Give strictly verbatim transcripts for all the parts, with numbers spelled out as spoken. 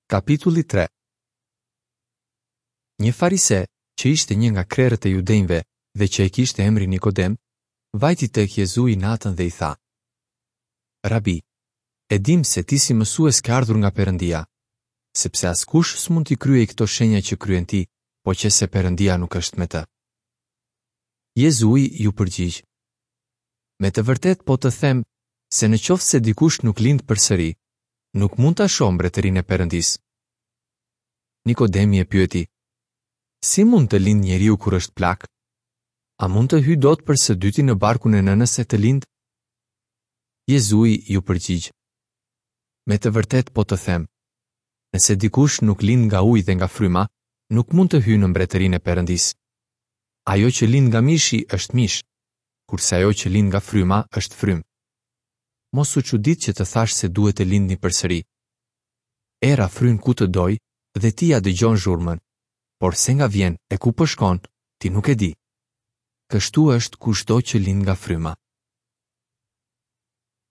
Kapitulli tre. Një farise, që ishte një nga krerët e judenjve dhe që e kishte emrin Nikodem, vajti tek Jezui natën dhe i tha: Rabi, e dimë se ti si mësues ke ardhur nga Perëndia, sepse askush s'mund t'i kryejë këto shenja që kryen ti, po qe se Perëndia nuk është me të. Jezui iu përgjigj: Me të vërtetë po të them se në qoftë se dikush nuk lind përsëri, nuk mund ta shohë mbretërinë e Perëndisë. Nikodemi e pyeti: Si mund të lind njeriu kur është plak? A mund të hyjë dot për së dyti në barkun e nënës e të lind? Jezui iu përgjigj: Me të vërtetë po të them, nëse dikush nuk lind nga uji dhe nga fryma, nuk mund të hyjë në mbretërinë e Perëndisë. Ajo që lind nga mishi është mish, kurse ajo që lind nga fryma është frymë. Mos u çudit që të thash se duhet të lindni përsëri. Era fryn ku të doj dhe ti ja dëgjon zhurmën, por se nga vjen e ku po shkon, ti nuk e di. Kështu është kushdo që lind nga fryma.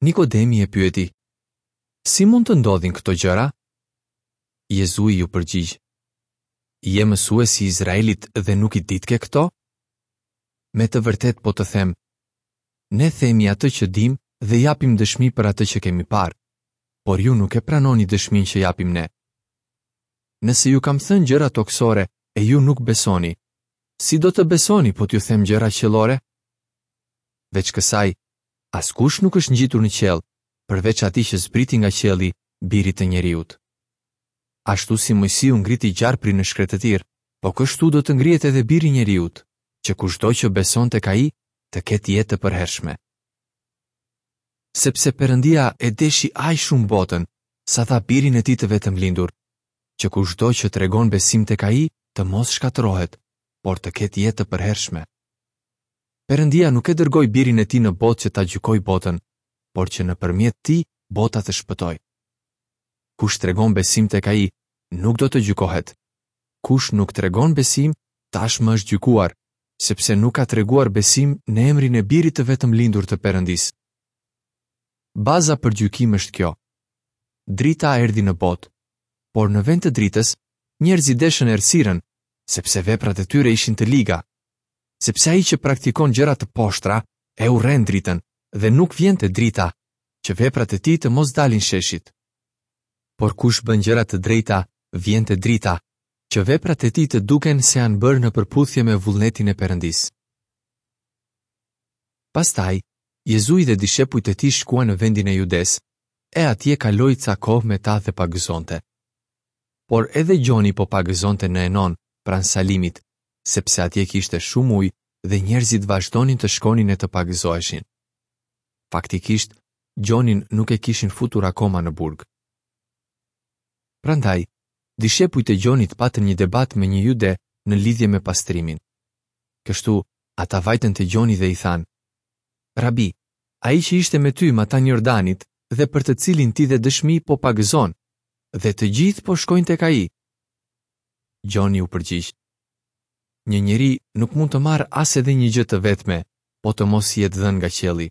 Nikodemi e pyeti: Si mund të ndodhin këto gjëra? Jezui iu përgjigj: Je mësues i Izraelit dhe nuk i ditke këto? Me të vërtetë po të them, ne themi atë që dim dhe japim dëshmi për atë që kemi parë, por ju nuk e pranoni dëshminë që japim ne. Nëse ju kam thënë gjëra tokësore e ju nuk besoni, si do të besoni po t'ju them gjëra qiellore? Veç kësaj, askush nuk është ngjitur në qiell, përveç atij që zbriti nga qielli, birit të njeriut. Ashtu si Moisiu ngriti gjarprin në shkretëtir, po kështu do të ngrihet edhe biri i njeriut, që kushdo që beson tek ai të ketë jetë të përhershme. Sepse Perëndia e deshi aq shumë botën, sa dha birin e tij të vetëm lindur, që kushdo që tregon besim tek ai të mos shkatërrohet, por të ketë jetë të përhershme. Perëndia nuk e dërgoi birin e tij në botë që ta gjykojë botën, por që nëpërmjet tij bota të shpëtojë. Kush tregon besim tek ai, nuk do të gjykohet. Kush nuk tregon besim, tashmë është gjykuar, sepse nuk ka treguar besim në emrin e birit të vetëm lindur të Perëndisë. Baza për gjykim është kjo. Drita erdhi në botë, por në vend të dritës, njerëzit deshën errësirën, sepse veprat e tyre ishin të liga. Sepse ai që praktikon gjëra të poshtra, e urren dritën dhe nuk vjen te drita, që veprat e tij të mos dalin sheshit. Por kush bën gjëra të drejta, vjen te drita, që veprat e tij të duken se janë bërë në përputhje me vullnetin e Perëndisë. Pastaj, Jezui dhe dishepujt e tij shkuan në vendin e Judes, e atje kaloi ca kohë me ta dhe pagëzonte. Por edhe Gjoni po pagëzonte në Enon, pranë Salimit, sepse atje kishte shumë ujë dhe njerëzit vazhdonin të shkonin e të pagëzoheshin. Faktikisht, Gjonin nuk e kishin futur akoma në burg. Prandaj, dishepujt e Gjonit patën një debat me një jude në lidhje me pastrimin. Kështu, ata vajtën te Gjoni dhe i thanë: Rabi, ai që ishte me ty matanë Jordanit dhe për të cilin ti dhe dëshmi po pagëzon, dhe të gjithë po shkojnë tek ai. Gjoni u përgjigj: Një njeri nuk mund të marrë as edhe një gjë të vetme, po të mos i jetë dhënë nga qielli.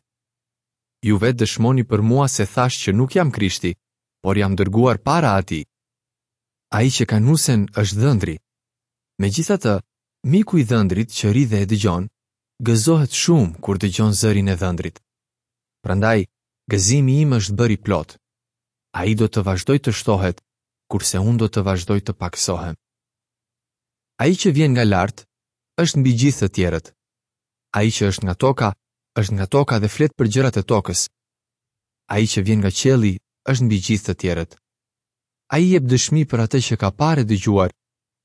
Ju vetë dëshmoni për mua se thash që nuk jam Krishti, por jam dërguar para atij. Ai që ka nusen është dhëndri. Megjithatë, miku i dhëndrit që ri dhe e dëgjon, gëzohet shumë kur dëgjon zërin e dhëndrit. Prandaj, gëzimi im është bërë i plot. Ai do të vazhdoj të shtohet, kurse unë do të vazhdoj të pakësohem. Ai që vjen nga lart është mbi gjithë të tjerët. Ai që është nga toka, është nga toka dhe flet për gjërat e tokës. Ai që vjen nga qielli është mbi gjithë të tjerët. Ai jep dëshmi për atë që ka parë e dëgjuar,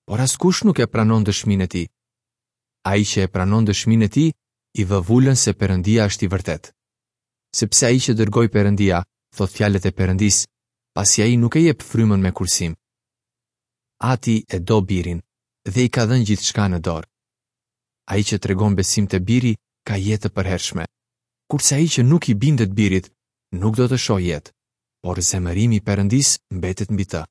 por askush nuk e pranon dëshminë e tij. Ai që e pranon dëshminë e tij, i vë vulën se Perëndia është i vërtetë. Sepse ai që dërgoi Perëndia, thot fjalët e Perëndisë, pasi ai nuk e jep frymën me kursim. Ati e do birin dhe i ka dhënë gjithçka në dorë. Ai që tregon besim te biri ka jetë të përhershme, kurse ai që nuk i bindet birit nuk do të shohë jetë, por zemërimi i Perëndisë mbetet mbi të.